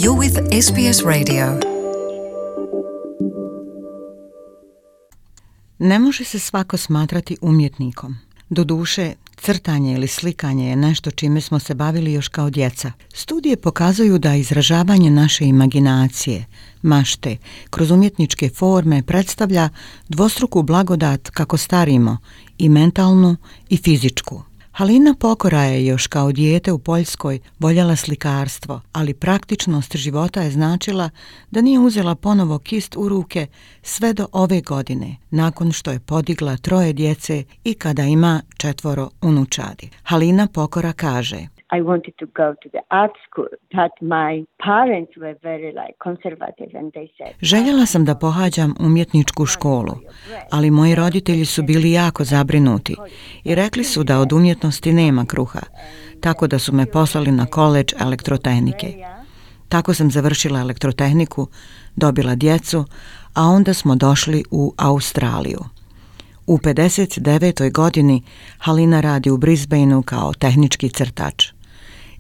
You're with SBS Radio. Ne može se svako smatrati umjetnikom. Doduše, crtanje ili slikanje je nešto čime smo se bavili još kao djeca. Studije pokazuju da izražavanje naše imaginacije, mašte, kroz umjetničke forme predstavlja dvostruku blagodat kako starimo, i mentalnu i fizičku. Halina Pokora je još kao dijete u Poljskoj voljela slikarstvo, ali praktičnost života je značila da nije uzela ponovo kist u ruke sve do ove godine, nakon što je podigla 3 djece i kada ima 4 unučadi. Halina Pokora kaže: I wanted to go to the art school, but my parents were very conservative and they said... Željela sam da pohađam umjetničku školu, ali moji roditelji su bili jako zabrinuti i rekli su da od umjetnosti nema kruha, tako da su me poslali na koledž elektrotehnike. Tako sam završila elektrotehniku, dobila djecu, a onda smo došli u Australiju. U 59. godini Halina radi u Brisbaneu kao tehnički crtač.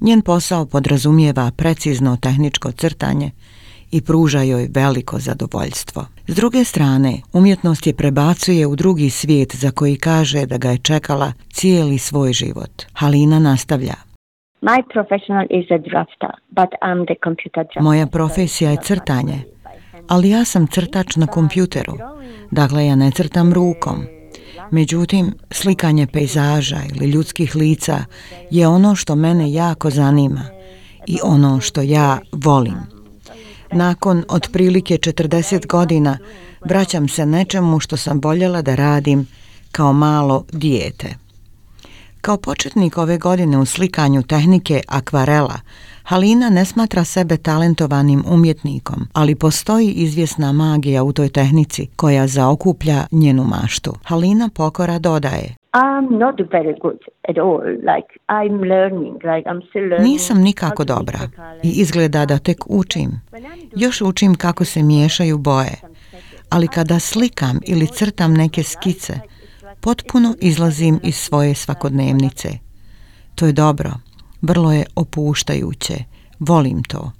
Njen posao podrazumijeva precizno tehničko crtanje i pruža joj veliko zadovoljstvo. S druge strane, umjetnost je prebacuje u drugi svijet za koji kaže da ga je čekala cijeli svoj život. Halina nastavlja: My professional is a drafter, but I'm the computer drafter. Moja profesija je crtanje, ali ja sam crtač na kompjuteru. Dakle, ja ne crtam rukom. Međutim, slikanje pejzaža ili ljudskih lica je ono što mene jako zanima i ono što ja volim. Nakon otprilike 40 godina vraćam se nečemu što sam voljela da radim kao malo dijete. Kao početnik ove godine u slikanju tehnike akvarela, Halina ne smatra sebe talentovanim umjetnikom, ali postoji izvjesna magija u toj tehnici koja zaokuplja njenu maštu. Halina Pokora dodaje: I'm not very good at all. I'm learning. I'm still learning. Nisam nikako dobra i izgleda da tek učim. Još učim kako se miješaju boje. Ali kada slikam ili crtam neke skice, potpuno izlazim iz svoje svakodnevnice. To je dobro. Vrlo je opuštajuće. Volim to.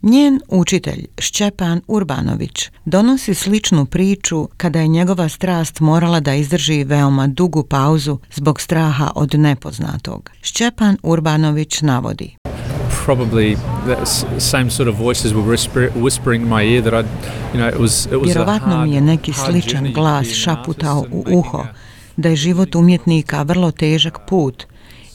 Njen učitelj, Šćepan Urbanović, donosi sličnu priču kada je njegova strast morala da izdrži veoma dugu pauzu zbog straha od nepoznatog. Šćepan Urbanović navodi: Probably the same sort of voices were whispering in my ear that it was Vjerovatno mi je neki sličan glas šaputao u uho da je život umjetnika vrlo težak put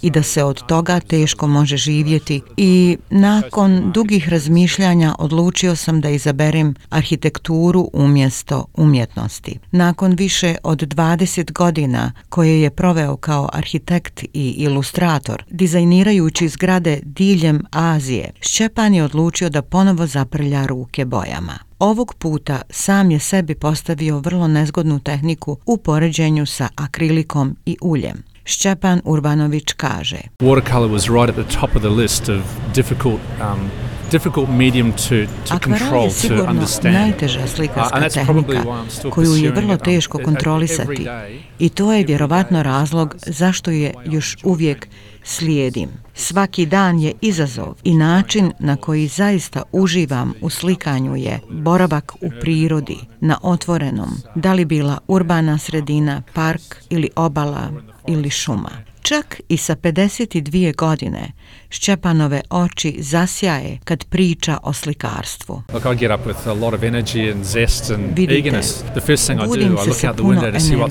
i da se od toga teško može živjeti, i nakon dugih razmišljanja odlučio sam da izaberem arhitekturu umjesto umjetnosti. Nakon više od 20 godina koje je proveo kao arhitekt i ilustrator, dizajnirajući zgrade diljem Azije, Šćepan je odlučio da ponovo zaprlja ruke bojama. Ovog puta sam je sebi postavio vrlo nezgodnu tehniku u poređenju sa akrilikom i uljem. Šćepan Urbanović kaže: Watercolor was right at the top of the list of difficult medium to control, to understand. Najteža slikarska tehnika koju je vrlo teško kontrolisati, i to je vjerovatno razlog zašto je još uvijek slijedim. Svaki dan je izazov i način na koji zaista uživam u slikanju je boravak u prirodi, na otvorenom, da li bila urbana sredina, park ili obala ili šuma. Čak i sa 52 godine Šćepanove oči zasjaje kad priča o slikarstvu. Vidite, budim se sa puno energije,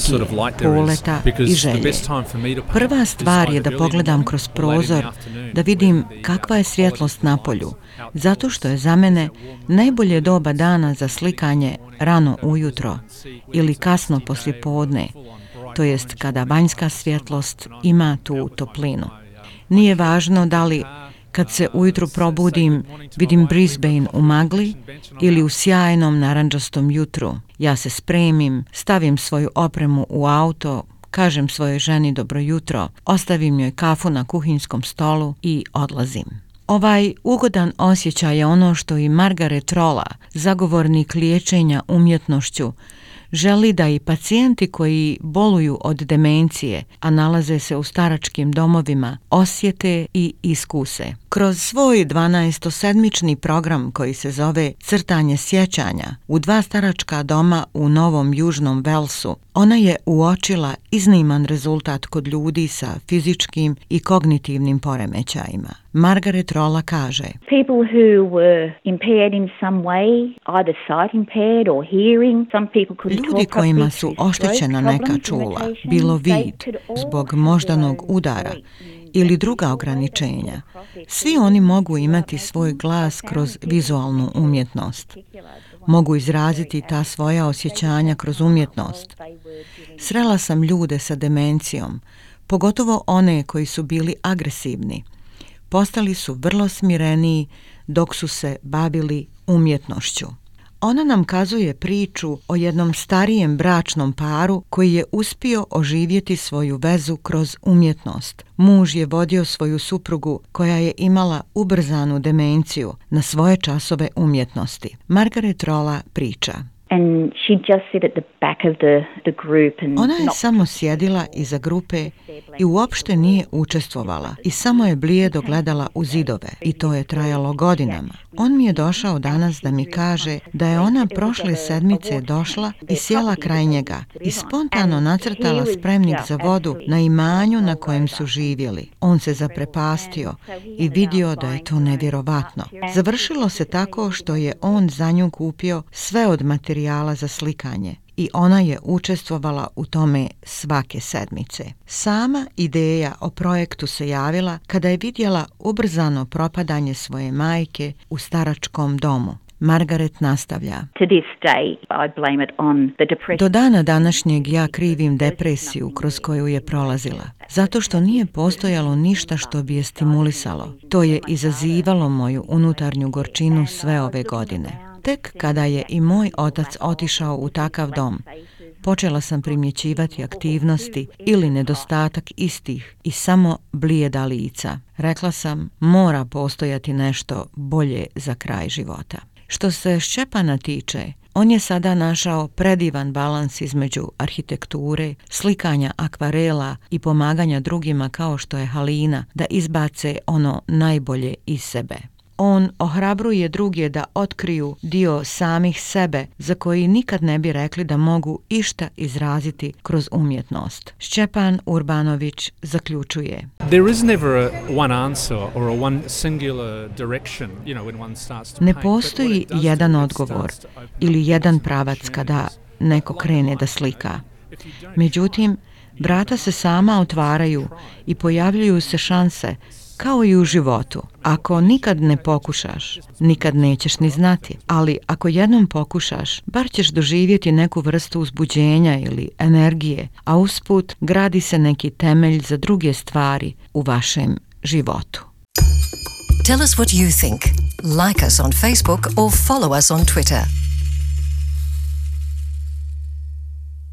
poleta i želje. Prva stvar je da pogledam kroz prozor, da vidim kakva je svjetlost na polju, zato što je za mene najbolje doba dana za slikanje rano ujutro ili kasno poslijepodne, to jest kada vanjska svjetlost ima tu toplinu. Nije važno da li kad se ujutro probudim vidim Brisbane u magli ili u sjajnom narandžastom jutru. Ja se spremim, stavim svoju opremu u auto, kažem svojoj ženi dobro jutro, ostavim joj kafu na kuhinskom stolu i odlazim. Ovaj ugodan osjećaj je ono što i Margaret Rolla, zagovornik liječenja umjetnošću, želi da i pacijenti koji boluju od demencije, a nalaze se u staračkim domovima, osjete i iskuse. Kroz svoj 12-sedmični program koji se zove Crtanje sjećanja u 2 staračka doma u Novom Južnom Velsu, ona je uočila izniman rezultat kod ljudi sa fizičkim i kognitivnim poremećajima. Margaret Rolla kaže: People who were impaired in some way, either sight impaired or hearing, some people couldn't talk. Ljudi kojima su oštećena neka čula, bilo vid zbog moždanog udara ili druga ograničenja, svi oni mogu imati svoj glas kroz vizualnu umjetnost. Mogu izraziti ta svoja osjećanja kroz umjetnost. Srela sam ljude sa demencijom, pogotovo one koji su bili agresivni. Postali su vrlo smireniji dok su se bavili umjetnošću. Ona nam kazuje priču o jednom starijem bračnom paru koji je uspio oživjeti svoju vezu kroz umjetnost. Muž je vodio svoju suprugu koja je imala ubrzanu demenciju na svoje časove umjetnosti. Margaret Rolla priča: And she'd just sit at the back of the group and ona je samo sjedila iza grupe i uopšte nije učestvovala i samo je blijedo gledala u zidove i to je trajalo godinama. On mi je došao danas da mi kaže da je ona prošle sedmice došla i sjela kraj njega i spontano nacrtala spremnik za vodu na imanju na kojem su živjeli. On se zaprepastio i vidio da je to nevjerovatno. Završilo se tako što je on za nju kupio sve od materijala za slikanje i ona je učestvovala u tome svake sedmice. Sama ideja o projektu se javila kada je vidjela ubrzano propadanje svoje majke u staračkom domu. Margaret nastavlja: do dana današnjeg ja krivim depresiju kroz koju je prolazila, zato što nije postojalo ništa što bi je stimulisalo. To je izazivalo moju unutarnju gorčinu sve ove godine. Tek kada je i moj otac otišao u takav dom, počela sam primjećivati aktivnosti ili nedostatak istih i samo blijeda lica. Rekla sam, mora postojati nešto bolje za kraj života. Što se Šćepana tiče, on je sada našao predivan balans između arhitekture, slikanja akvarela i pomaganja drugima kao što je Halina da izbace ono najbolje iz sebe. On ohrabruje druge da otkriju dio samih sebe za koji nikad ne bi rekli da mogu išta izraziti kroz umjetnost. Šćepan Urbanović zaključuje: ne postoji jedan odgovor ili jedan pravac kada neko krene da slika. Međutim, vrata se sama otvaraju i pojavljuju se šanse, kao i u životu. Ako nikad ne pokušaš, nikad nećeš ni znati. Ali ako jednom pokušaš, bar ćeš doživjeti neku vrstu uzbuđenja ili energije, a usput gradi se neki temelj za druge stvari u vašem životu. Tell us what you think. Like us on Facebook or follow us on Twitter.